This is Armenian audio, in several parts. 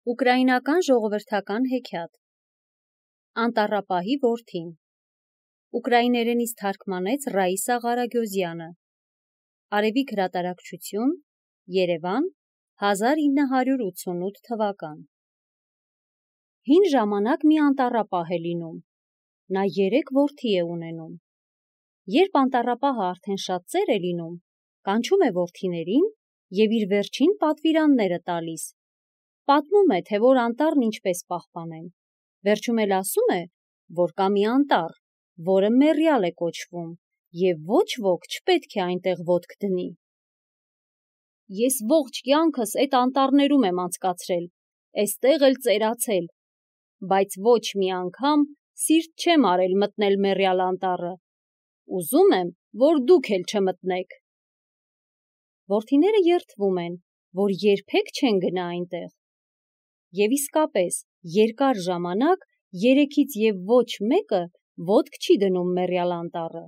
Ուկրաինական ժողովրդական հեքիաթ Անտառապահի որդին Ուկրաիներենից թարգմանեց Ռաիսա Ղարագյոզյանը Արևիկ հրատարակչություն Երևան 1988 թվական Հին ժամանակ մի անտառապահ է լինում Նա 3 որդի է ունենում Երբ անտառապահը արդեն շատ ծեր է լինում կանչում է որդիներին և իր վերջին պատվիրանները տալիս Պատմում է, թե որ անտառն ինչպես պահպանեն, վերջում էլ ասում է, որ կա մի անտառ, որը մեռյալ է կոչվում, և ոչ ոք չպետք է այնտեղ ոտք դնի։ Ես ողջ կյանքս այդ անտառներում եմ անցկացրել, էստեղ էլ ծերացել, բայց ոչ մի անգամ սիրտ չեմ արել մտնել մեռյալ անտառը, ուզում եմ, որ դուք էլ չմտնեք։ Որդիները երդվում են, որ երբեք չեն գնա այնտեղ։ Եվ իսկապես, երկար ժամանակ երեքից և ոչ մեկը ոտք չի դնում մեռյալ անտառը։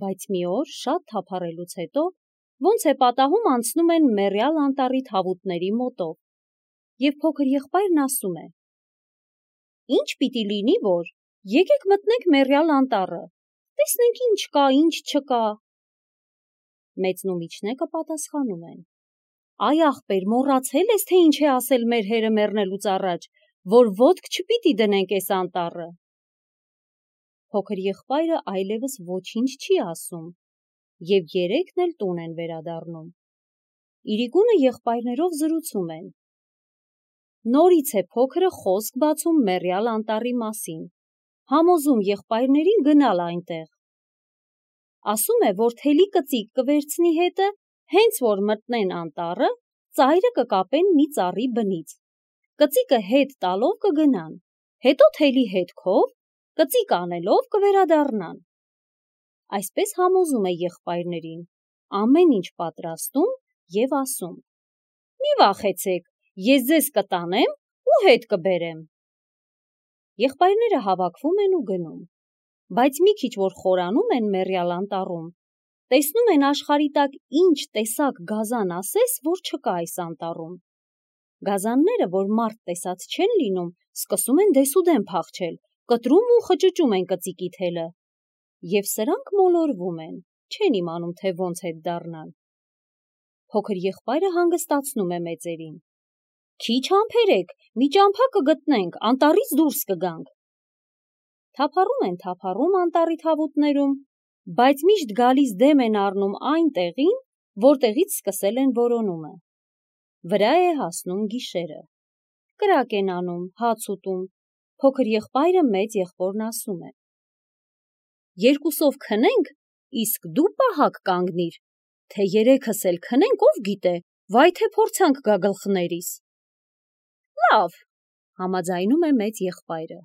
Բայց մի օր շատ թափառելուց հետո ոնց է պատահում անցնում են մեռյալ անտառի թավուտների մոտով։ Եվ փոքր եղբայրն ասում է. Ինչ պիտի լինի, որ եկեք մտնենք մեռյալ անտառը, տեսնենք ինչ կա, ինչ չկա։ Մեծն ու միջնեկը պատասխանում են. Այ ախպեր, մոռացել ես, թե ինչ է ասել մեր հերը մեռնելուց առաջ, որ ոտք չպիտի դնենք այս անտառը։ Փոքր եղբայրը այլևս ոչինչ չի ասում, և երեքն էլ տուն են վերադառնում։ Իրիկունը եղբայրներով զրուցում են։ Նորից է փոքրը խոսք բացում մեռյալ անտառի մասին, համոզում եղբայրներին գնալ այնտեղ։ Ասում է, որ թելի կծիկ կվերցնի հետը, հենց որ մտնեն անտառը, ծայրը կկապեն մի ծառի բնից, կծիկը հետ տալով կգնան, հետո թելի հետքով, կծիկ անելով կվերադառնան։ Այսպես համոզում է եղբայրներին, ամեն ինչ պատրաստում և ասում. Մի վախեցեք, ես ձեզ կտանեմ ու հետ կբերեմ։ Եղբայրները հավաքվում են ու գնում, բայց մի քիչ որ խորանում են մեռյալ անտառում, տեսնում են աշխարհի տակ ինչ տեսակ գազան ասես, որ չկա այս անտառում։ Գազանները, որ մարդ տեսած չեն լինում, սկսում են դեսուդեն փախչել, կտրում ու խճճում են կծիկի թելը։ Եվ սրանք մոլորվում են, չեն իմանում, թե ոնց հետ դառնան։ Փոքր եղբայրը հանգստացնում է մեծերին. Քիչ համբերեք, մի ճամփա կգտնենք, անտառից դուրս կգանք։ Թափառում անտառի թավուտներում, բայց միշտ գալիս դեմ են առնում այն տեղին, որտեղից սկսել են որոնումը։ Վրա է հասնում գիշերը։ Կրակ են անում, հաց ուտում, փոքր եղբայրը մեծ եղբորն ասում է. Երկուսով քնենք, իսկ դու պահակ կանգնիր, թե երեքս էլ քնենք, ով գիտե, վայ թե փորձանք գա գլխներիս։ Լավ, համաձայնում է մեծ եղբայրը։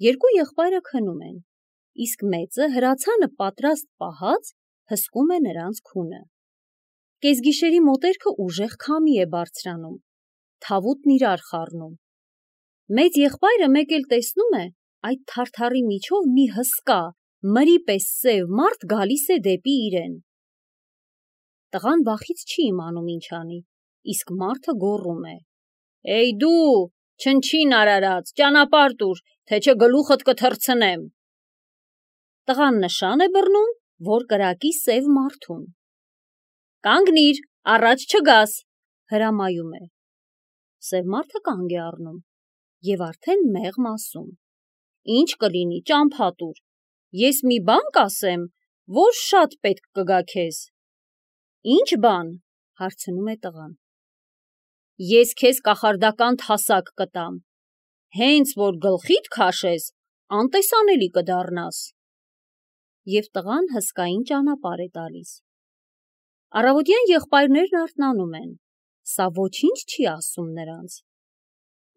Երկու եղբայրը քնում են, իսկ մեծը հրացանը պատրաստ պահած հսկում է նրանց քունը։ Կեսգիշերի մոտերքը ուժեղ քամի է բարձրանում, թավուտն իրար խառնում։ Մեծ եղբայրը մեկ էլ տեսնում է, այդ թարթարի միջով մի հսկա, մրի պես սև մարդ գալիս է դեպի իրեն։ Տղան վախից չի իմանում ինչ անի, իսկ մարդը գոռում է. Էյ դու, չնչին արարած, ճանապարհ տուր, թե չէ գլուխդ կթռցնեմ։ Տղան նշան է բռնում, որ կրակի սև մարդուն։ Կանգնիր, առաջ չգաս, հրամայում է։ Սև մարդը կանգ է առնում և արդեն մեղմ ասում. Ինչ կլինի, ճամփա տուր, ես մի բան կասեմ, որ շատ պետք կգա քեզ։ Ինչ բան, հարցնում է տղան։ Ես քեզ կախարդական թասակ կտամ, հենց որ գլխիդ քաշես, անտեսանելի կդառնաս։ Եվ տղան հսկային ճանապարհ է տալիս։ Առավոտյան եղբայրներն արթնանում են, սա ոչինչ չի ասում նրանց։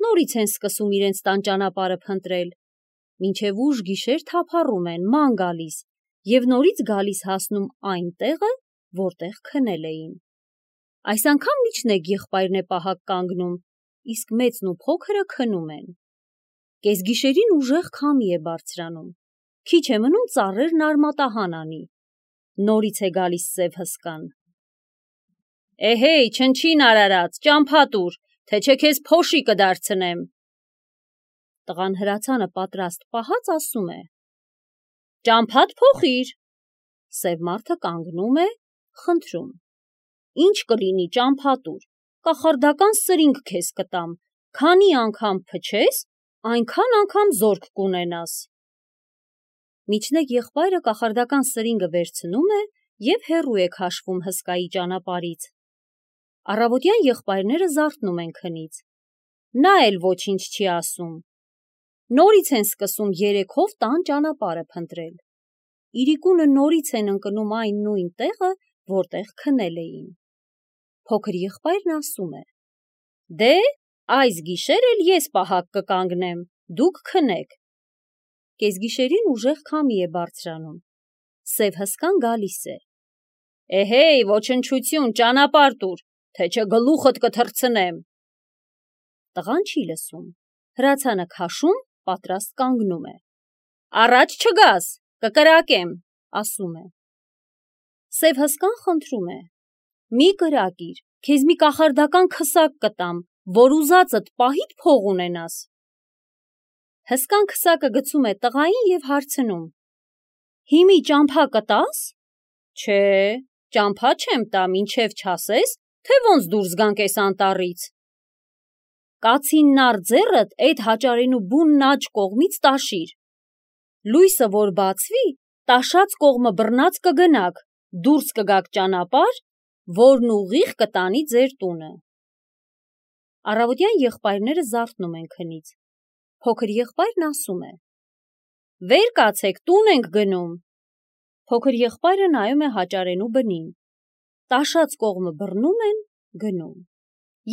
Նորից են սկսում իրենց տան ճանապարհը փնտրել, մինչև ուշ գիշեր թափառում են, ման գալիս, և նորից գալիս հասնում այն տեղը, որտեղ քնել էին։ Այս անգամ միջնեկ եղբայրն է պահակ կանգնում, իսկ մեծն ու փոքրը քնում են։ Կեսգիշերին ուժեղ քամի է բարձրանում, քիչ է մնում ծառերն արմատահան անի։ Նորից է գալիս սև հսկան։ Էհեյ, չնչին արարած, ճամփա տուր, թե չէ քեզ փոշի կդարձնեմ։ Տղան հրացանը պատրաստ պահած ասում է. Ճամփադ փոխիր։ Սև մարդը կանգնում է, խնդրում. Ինչ կլինի ճամփատուր, կախարդական սրինգ քեզ կտամ, քանի անգամ փչես, այնքան անգամ զորք կունենաս։ Միջնեկ եղբայրը կախարդական սրինգը վերցնում է և հեռու է քաշվում հսկայի ճանապարհից։ Առավոտյան եղբայրները զարթնում են քնից։ Նա էլ ոչինչ չի ասում։ Նորից են սկսում երեքով տան ճանապարհը փնտրել։ Իրիկունը նորից են ընկնում այն նույն տեղը, որտեղ քնել էին։ Փոքր եղբայրն ասում է. Դե, այս գիշեր էլ ես պահակ կկանգնեմ, դուք քնեք։ Կեսգիշերին ուժեղ քամի է բարձրանում։ Սև հսկան գալիս է։ Էհեյ, ոչնչություն, ճանապարհ տուր, թե չէ գլուխդ կթռցնեմ։ Տղան չի լսում։ Հրացանը քաշում, պատրաստ կանգնում է։ Առաջ չգաս, կկրակեմ, ասում է։ Սև հսկան խնդրում է. Մի կրակիր, քեզ մի կախարդական քսակ կտամ, որ ուզածդ պահիդ փող ունենաս։ Հսկան քսակը գցում է տղային և հարցնում. Հիմի ճամփա կտաս։ Չէ, ճամփա չեմ տա, մինչև չասես, թե ոնց դուրս գանք էս անտառից։ Կացին նար ձեռդ էդ հաճարենու բունն աջ կողմից տաշիր։ Լույսը որ բացվի, տաշած կողմը բռնած կգնաք, դուրս կգաք ճանապարհ, որն ուղիղ կտանի ձեր տունը։ Առավոտյան եղբայրները զարթնում են քնից։ Փոքր եղբայրն ասում է. Վեր կացեք, տուն ենք գնում։ Փոքր եղբայրը նայում է հաճարենու բնին։ Տաշած կողմը բռնում են, գնում։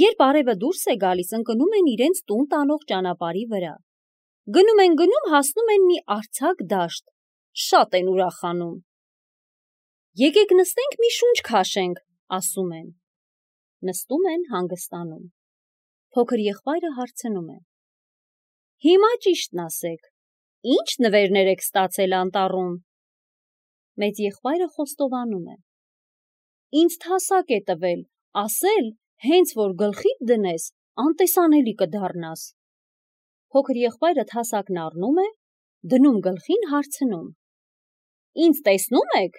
Երբ արևը դուրս է գալիս, ընկնում են իրենց տուն տանող ճանապարհի վրա։ Գնում են, հասնում են մի արձակ դաշտ։ Շատ են ուրախանում։ Եկեք նստենք մի շունչ քաշենք, ասում են։ Նստում են, հանգստանում։ Փոքր եղբայրը հարցնում է. Հիմա ճիշտն ասեք, ի՞նչ նվերներ եք ստացել անտառում։ Մեծ եղբայրը խոստովանում է. Ինձ թասակ է տվել, ասել, հենց որ գլխիդ դնես, անտեսանելի կդառնաս։ Փոքր եղբայրը թասակն առնում է, դնում գլխին, հարցնում. Ինձ տեսնում եք։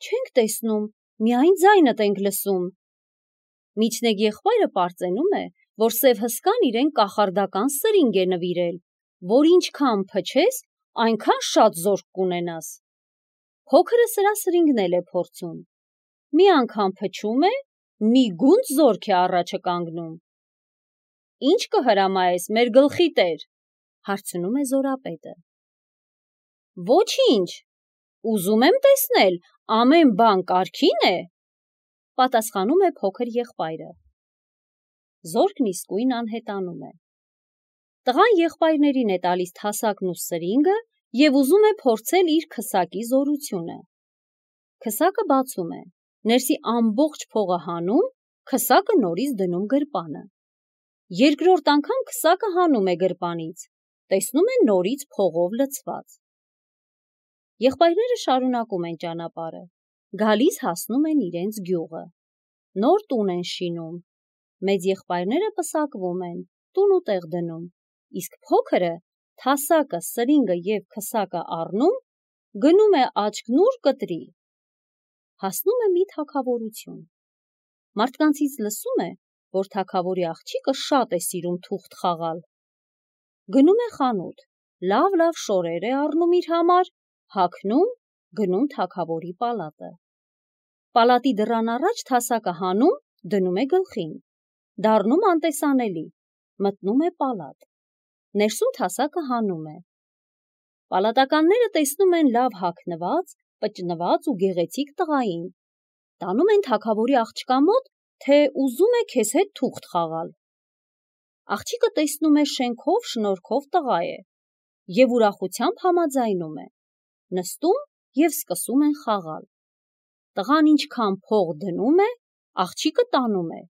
Չենք տեսնում, միայն ձայնդ ենք լսում։ Միջնեկ եղբայրը պարծենում է, որ սև հսկան իրեն կախարդական սրինգ է նվիրել, որ ինչքան փչես, այնքան շատ զորք կունենաս։ Փոքրը սրա սրինգն էլ է փորձում։ Մի անգամ փչում է, մի գունդ զորք է առաջը կանգնում։ Ինչ կհրամայես, մեր գլխի տեր, հարցնում է զորապետը։ Ոչինչ, ուզում եմ տեսնել, ամեն բան կարգին է, պատասխանում է փոքր եղբայրը։ Զորքն իսկույն անհետանում է։ Տղան եղբայրներին է տալիս թասակն ու սրինգը և ուզում է փորձել իր քսակի զորությունը։ Քսակը բացում է, ներսի ամբողջ փողը հանում, քսակը նորից դնում գրպանը։ Երկրորդ անգամ քսակը հանում է գրպանից, տեսնում է նորից փողով լցված։ Եղբայրները շարունակում են ճանապարհը, գալիս հասնում են իրենց գյուղը։ Նոր տուն են շինում։ Մեծ եղբայրները պսակվում են, տուն ու տեղ դնում, իսկ փոքրը թասակը, սրինգը և քսակը առնում, գնում է աչքնուր կտրի։ Հասնում է մի թագավորություն։ Մարդկանցից լսում է, որ թագավորի աղջիկը շատ է սիրում թուղթ խաղալ։ Գնում է խանութ, լավ շորեր է առնում իր համար, հագնում, գնում թագավորի պալատը։ Պալատի դռան առաջ թասակը հանում, դնում է գլխին, դառնում անտեսանելի, մտնում է պալատ։ Ներսում թասակը հանում է։ Պալատականները տեսնում են լավ հագնված, պճնված ու գեղեցիկ տղային։ Տանում են թագավորի աղջկա մոտ, թե ուզում է քեզ հետ թուղթ խաղալ։ Աղջիկը տեսնում է շենքով, շնորհքով տղա է և ուրախությամբ համաձայնում է։ Նստում և սկսում են խաղալ։ Տղան ինչքան փող դնում է, աղջիկը տանում է,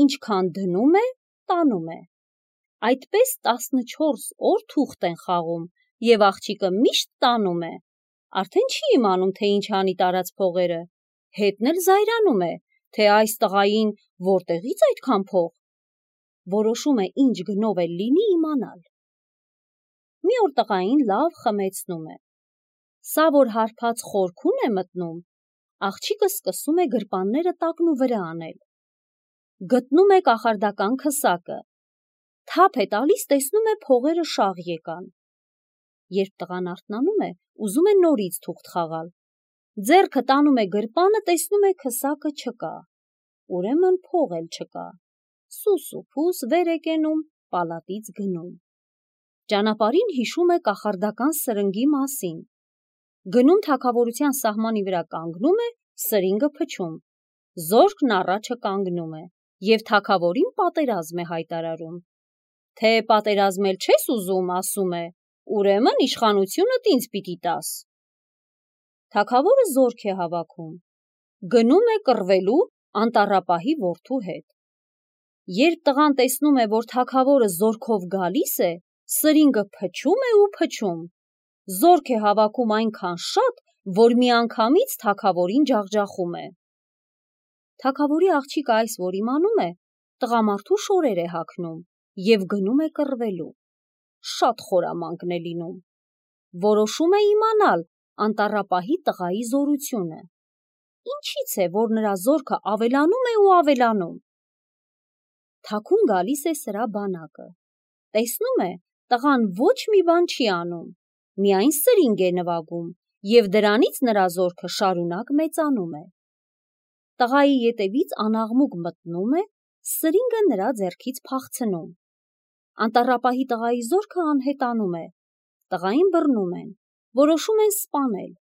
ինչքան դնում է, տանում է։ Այդպես 14 օր թուղթ են խաղում և աղջիկը միշտ տանում է։ Արդեն չի իմանում, թե ինչ անի տարած փողերը, հետն էլ զայրանում է, թե այս տղային որտեղից այդքան փող, որոշում է ինչ գնով էլ լինի իմանալ։ Մի օր տղային լավ խմեցնում է։ Սա որ հարբած խորքուն է մտնում, աղջիկը սկսում է գրպանները տակնու վրա անել։ Գտնում է կախարդական քսակը։ Թափ է տալիս, տեսնում է փողերը շաղ եկան։ Երբ տղան արթնանում է, ուզում է նորից թուղթ խաղալ։ Ձեռքը տանում է գրպանը, տեսնում է քսակը չկա։ Ուրեմն փող էլ չկա։ Սուս ու փուս վեր է կենում, պալատից գնում։ Ճանապարհին հիշում է կախարդական սրնգի մասին։ Գնում թագավորության սահմանի վրա կանգնում է, սրինգը փչում։ Զորքն առաջը կանգնում է և թագավորին պատերազմ է հայտարարում։ Թե պատերազմել չես ուզում, ասում է, ուրեմն իշխանությունդ ինձ պիտի տաս։ Թագավորը զորք է հավաքում։ Գնում է կռվելու անտառապահի որդու հետ։ Երբ տղան տեսնում է, որ թագավորը զորքով գալիս է, սրինգը փչում է ու փչում։ Զորք է հավաքում այնքան շատ, որ միանգամից թագավորին ջախջախում է։ Թագավորի աղջիկը այս որ իմանում է, տղամարդու շորեր է հագնում և գնում է կռվելու։ Շատ խորամանկ է լինում։ Որոշում է իմանալ անտառապահի տղայի զորությունը։ Ինչից է, որ նրա զորքը ավելանում է ու ավելանում։ Թաքուն գալիս է սրա բանակը։ Տեսնում է, տղան ոչ մի բան չի անում, միայն սրինգ է նվագում և դրանից նրա զորքը շարունակ մեծանում է։ Տղայի ետևից անաղմուկ մտնում է, սրինգը նրա ձեռքից փախցնում։ Անտառապահի տղայի զորքը անհետանում է։ Տղային բռնում են, որոշում են սպանել,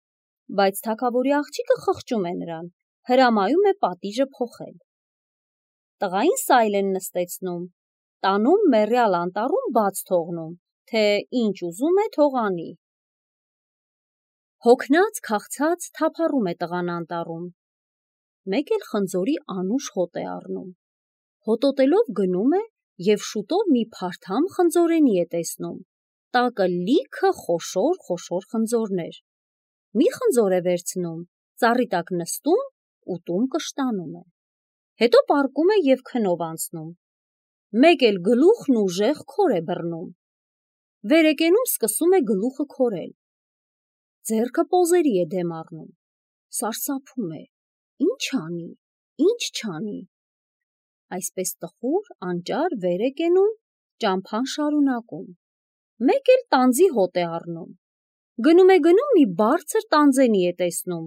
բայց թագավորի աղջիկը խղճում է նրան, հրամայում է պատիժը փոխել։ Տղային սայլ են նստեցնում, տանում մեռյալ անտառում բաց թողնում, թե ինչ ուզում է թող անի։ Հոգնած, քաղցած թափառում է տղան անտառում։ Մեկ էլ խնձորի անուշ հոտ է առնում։ Հոտոտելով գնում է և շուտով մի փարթամ խնձորենի է տեսնում։ Տակը լիքը խոշոր խնձորներ։ Մի խնձոր է վերցնում, ծառի տակ նստում, ուտում կշտանում է։ Հետո պառկում է և քնով անցնում։ Մեկ էլ գլուխն ուժեղ քոր է բռնում։ Վեր է կենում, սկսում է գլուխը քորել։ Ձեռքը պոզերի է դեմ առնում։ Սարսափում է. ինչ անի, ինչ չանի։ Այսպես տխուր, անճար վեր է կենում, ճամփան շարունակում։ Մեկ էլ տանձի հոտ է առնում։ Գնում է մի բարձր տանձենի է տեսնում,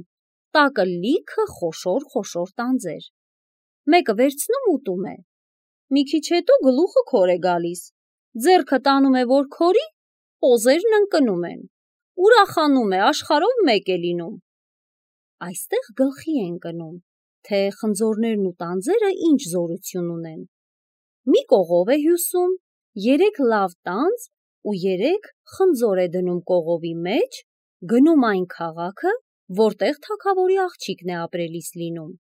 տակը լիքը խոշոր տանձեր։ Մեկը վերցնում ուտում է։ Մի քիչ հետո գլուխը քոր է գալիս, ձեռքը տանում է, որ քորի, պոզերն ընկնում են։ Ուրախանում է, աշխարհով մեկ է լինում։ Այստեղ գլխի է ընկնում, թե խնձորներն ու տանձերը ինչ զորություն ունեն։ Մի կողով է հյուսում, 3 լավ տանձ ու 3 խնձոր է դնում կողովի մեջ, գնում այն քաղաքը, որտեղ թագավորի աղջիկն է ապրելիս լինում։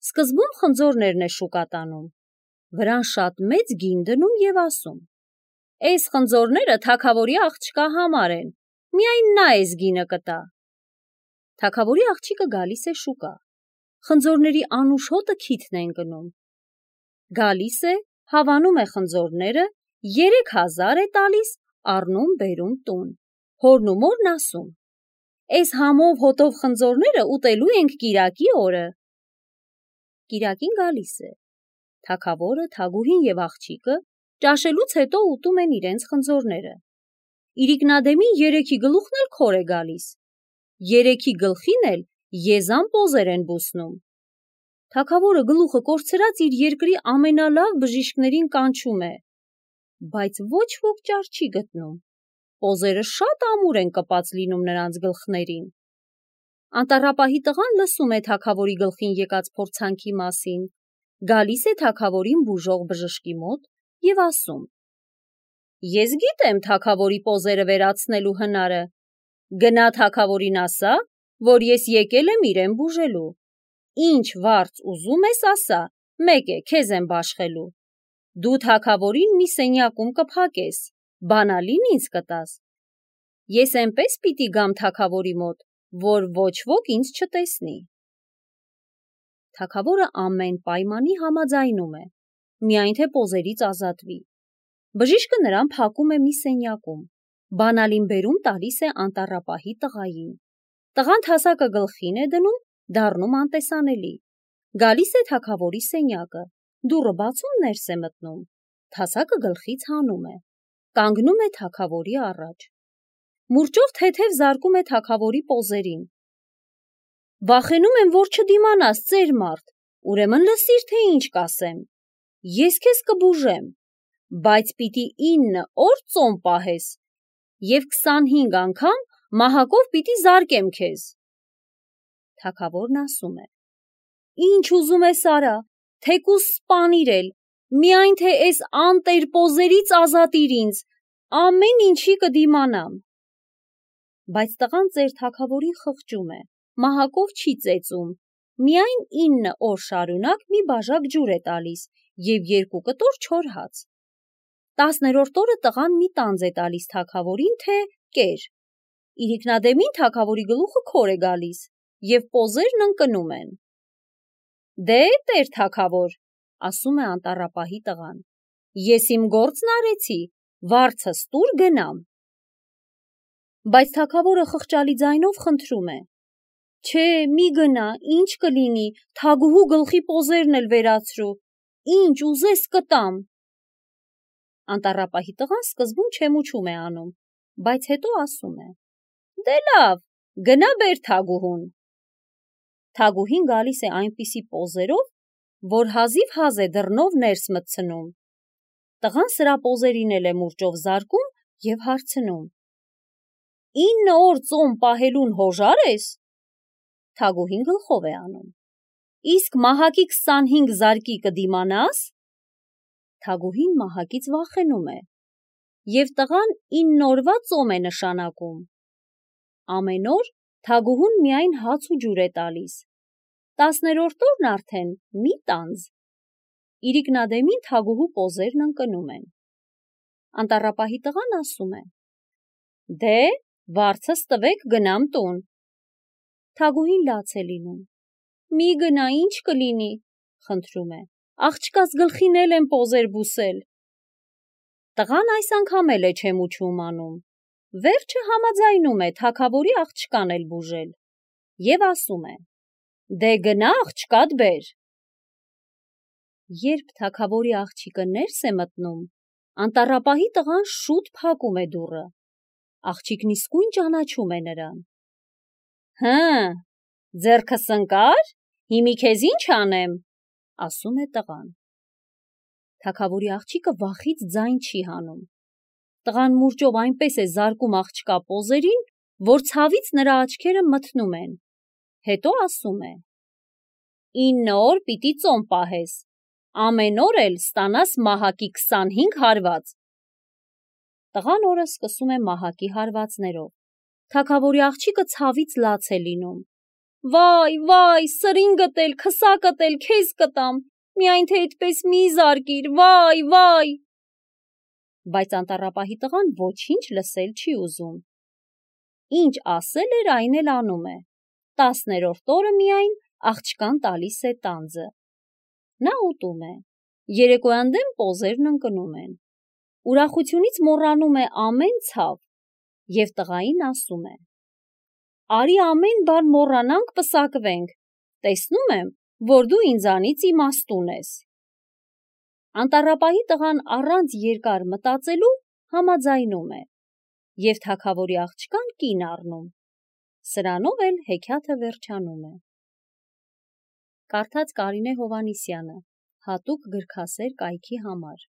Սկզբում խնձորներն է շուկա տանում, վրան շատ մեծ գին դնում և ասում. «Էս խնձորները թագավորի աղջկա համար են, միայն նա էս գինը կտա»։ Թագավորի աղջիկը գալիս է շուկա, խնձորների անուշ հոտը քիթն է ընկնում։ Գալիս է, հավանում է խնձորները, 3000 է տալիս, առնում բերում տուն։ Հորն ու մորն ասում. «Էս համով հոտով խնձորները ուտելու ենք կիրակի օրը»։ Կիրակին գալիս է։ Թագավորը, թագուհին և աղջիկը ճաշելուց հետո ուտում են իրենց խնձորները։ Իրիկնադեմին 3-ի գլուխն էլ քոր է գալիս։ 3-ի գլխին էլ եզան պոզեր են բուսնում։ Թագավորը գլուխը կորցրած իր երկրի ամենալավ բժիշկներին կանչում է, բայց ոչ ոք ճար չի գտնում։ Պոզերը շատ ամուր են կպած լինում նրանց գլխներին։ Անտառապահի տղան լսում է թագավորի գլխին եկած փորձանքի մասին, գալիս է թագավորին բուժող բժշկի մոտ և ասում. «Ես գիտեմ թագավորի պոզերը վերացնելու հնարը։ Գնա թագավորին ասա, որ ես եկել եմ իրեն բուժելու։ Ինչ վարձ ուզում ես ասա, մեկ է, քեզ եմ բաշխելու։ Դու թագավորին մի սենյակում կփակես, բանալին ինձ կտաս։ Ես էնպես պիտի գամ թագավորի մոտ, որ ոչ ոք ինձ չտեսնի»։ Թագավորը ամեն պայմանի համաձայնում է։ միայն թե պոզերից ազատվի։ Բժիշկը նրան փակում է մի սենյակում, բանալին բերում տալիս է անտառապահի տղային։ Տղան թասակը գլխին է դնում, դառնում անտեսանելի։ Գալիս է թագավորի սենյակը, դուռը բացում ներս է մտնում, թասակը գլխից հանում է, կանգնում է թագավորի առաջ։ Մուրճով թեթև զարկում է թագավորի պոզերին։ Վախենում եմ, որ չդիմանաս, ծեր մարդ, ուրեմն լսիր, թե ինչ կասեմ։ Ես քեզ կբուժեմ, բայց պիտի 9 օր ծոմ պահես և 25 անգամ մահակով պիտի զարկեմ քեզ։ Թագավորն ասում է. Ինչ ուզում ես արա, թեկուզ սպանիր էլ, միայն թե էս անտեր պոզերից ազատիր ինձ, ամեն ինչի կդիմանամ։ Բայց տղան ծեր թագավորին խղճում է, մահակով չի ծեծում, միայն 9 օր շարունակ մի բաժակ ջուր է տալիս և 2 կտոր չոր հաց։ 10-րդ օրը տղան մի տանձ է տալիս թագավորին, թե կեր։ Իրիկնադեմին թագավորի գլուխը քոր է գալիս և պոզերն ընկնում են։ Դե տեր թագավոր, ասում է անտառապահի տղան, ես իմ գործն արեցի, վարձս տուր գնամ։ Բայց թագավորը խղճալի ձայնով խնդրում է. Չէ, մի գնա, ինչ կլինի, թագուհու գլխի պոզերն էլ վերացրու, ինչ ուզես կտամ։ Անտառապահի տղան սկզբում չեմուչում է անում, բայց հետո ասում է. Դե լավ, գնա բեր թագուհուն։ Թագուհին գալիս է այնպիսի պոզերով, որ հազիվ հազ է դռնով ներս մտցնում։ Տղան սրա պոզերին էլ է մուրճով զարկում և հարցնում. 9 օր ծոմ պահելուն հոժար ես։ Թագուհին գլխով է անում. Իսկ մահակի 25 զարկի կդիմանաս։ Թագուհին մահակից վախենում է, և տղան 9 օրվա ծոմ է նշանակում։ Ամեն օր թագուհուն միայն հաց ու ջուր է տալիս, 10-րդ օրն արդեն մի տանձ։ Իրիկնադեմին թագուհու պոզերն ընկնում են։ Անտառապահի տղան ասում է. Դե, վարձս տվեք գնամ տուն։ Թագուհին լաց է լինում. Մի գնա, ինչ կլինի, խնդրում է, աղջկաս գլխին էլ եմ պոզեր բուսել։ Տղան այս անգամ էլ է չեմուչում անում, վերջը համաձայնում է թագավորի աղջկան էլ բուժել և ասում է. Դե գնա աղջկատ բեր։ Երբ թագավորի աղջիկը ներս է մտնում, անտառապահի տղան շուտ փակում է դուռը։ Աղջիկն իսկույն ճանաչում է նրան։ Հը, ձեռքս ընկա՞ր, հիմի քեզ ինչ անեմ, ասում է տղան։ Թագավորի աղջիկը վախից ձայն չի հանում։ Տղան մուրճով այնպես է զարկում աղջկա պոզերին, որ ցավից նրա աչքերը մթնում են։ Հետո ասում է. 9 օր պիտի ծոմ պահես, ամեն օր էլ ստանաս մահակի 25 հարված։ Տղան օրը սկսում է մահակի հարվածներով։ Թագավորի աղջիկը ցավից լաց է լինում։ Վայ, սրինգդ էլ, քսակդ էլ քեզ կտամ, միայն թե այդպես մի զարկիր, վայ։ Բայց անտառապահի տղան ոչինչ լսել չի ուզում։ Ինչ ասել էր, այն էլ անում է։ 10-րդ օրը միայն աղջկան տալիս է տանձը։ Նա ուտում է։ Երեկոյան դեմ պոզերն ընկնում են։ Ուրախությունից մոռանում է ամեն ցավ և տղային ասում է. Արի ամեն բան մոռանանք, պսակվենք, տեսնում եմ, որ դու ինձանից իմաստուն ես։ Անտառապահի տղան առանց երկար մտածելու համաձայնում է և թագավորի աղջկան կին առնում։ Սրանով էլ հեքիաթը վերջանում է։ Կարդաց Կարինե Հովհաննիսյանը, հատուկ գրքասեր կայքի համար։